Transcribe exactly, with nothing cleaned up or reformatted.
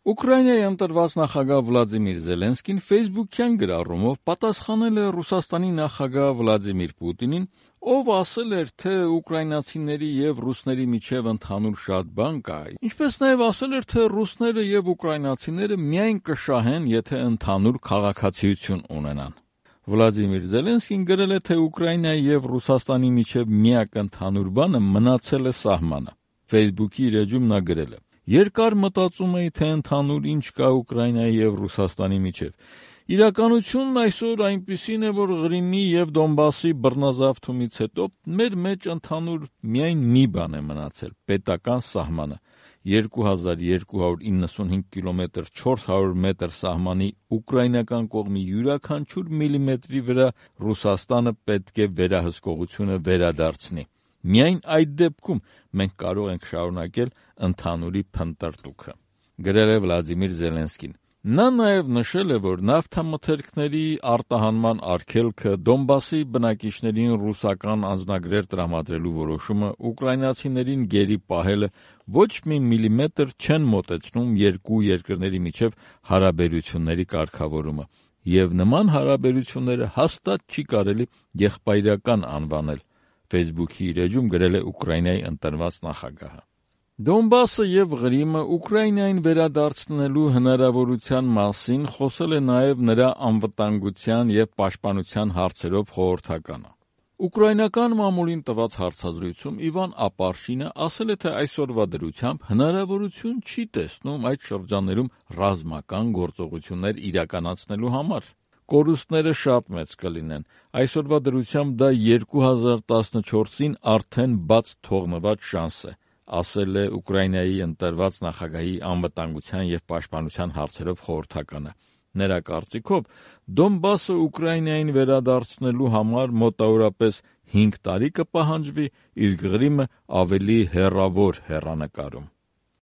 Ուկրաինայի ընտրված նախագահ Վլադիմիր Զելենսկին Facebook-յան գրառումով պատասխանել է Ռուսաստանի նախագահ Վլադիմիր Պուտինին, ով ասել էր, թե ուկրաինացիների եւ ռուսների միջև ընդհանուր շատ բան կա, ինչպես նաեւ ասել էր, թե ռուսները եւ ուկրաինացիները միայն կշահեն, եթե ընդհանուր քաղաքացիություն ունենան։ Վլադիմիր Զելենսկին գրել է, թե Ուկրաինայի եւ Ռուսաստանի միջև միակ ընդհանուր բանը մնացել է սահմանը։ Facebook-ի իր էջում նա գրել է. Երկար մտածում էի, թե ընդհանուր ինչ կա Ուկրաինայի եւ Ռուսաստանի միջև։ Իրականությունն այսօր այնպիսին է, որ Ղրիմի եւ Դոնբասի բռնազավթումից հետո մեր մեջ ընդհանուր միայն մի բան է մնացել՝ պետական սահմանը։ երկու հազար երկու հարյուր իննսունհինգ կիլոմետր չորս հարյուր մետր սահմանի ուկրաինական կողմի յուրաքանչյուր միլիմետրի վրա Ռուսաստանը պետք է վերահսկողությունը վերադարձնի։ Միայն այդ դեպքում մենք կարող ենք շարունակել ընդհանուրի փնտրտուքը, գրել է Վլադիմիր Զելենսկին։ Նա նաև նշել է, որ նավթամթերքների արտահանման արգելքը, Դոնբասի բնակիչներին ռուսական անձնագրեր տրամադրելու որոշումը, ուկրաինացիներին գերի պահելը ոչ մի միլիմետր չեն մոտեցնում երկու երկրների միջև հարաբերությունների կարգավորումը, եւ նման հարաբերությունները հաստատ չի կարելի եղբայրական անվանել։ Facebook-ի իր էջում գրել է Ուկրաինայի ընտրված նախագահը։ Դոնբասը եւ Ղրիմը Ուկրաինային վերադարձնելու հնարավորության մասին խոսել է նաեւ նրա անվտանգության եւ պաշտպանության հարցերով խորհրդականը։ Ուկրաինական մամուլին տված հարցազրույցում Իվան Ապարշինը ասել է, թե այսօրվա դրությամբ հնարավորություն չի տեսնում այդ շրջաններում ռազմական գործողություններ իրականացնելու համար։ Կորուստները շատ մեծ կլինեն։ Այսօրվա դրությամբ դա երկու հազար տասնչորսին արդեն բաց թողնված շանս է, ասել է Ուկրաինայի ընտրված նախագահի անվտանգության եւ պաշտպանության հարցերով խորհրդականը։ Նրա կարծիքով Դոնբասը Ուկրաինային վերադարձնելու համար մոտավորապես հինգ տարի կպահանջվի, իսկ Ղրիմը ավելի հեռավոր հեռանկարում։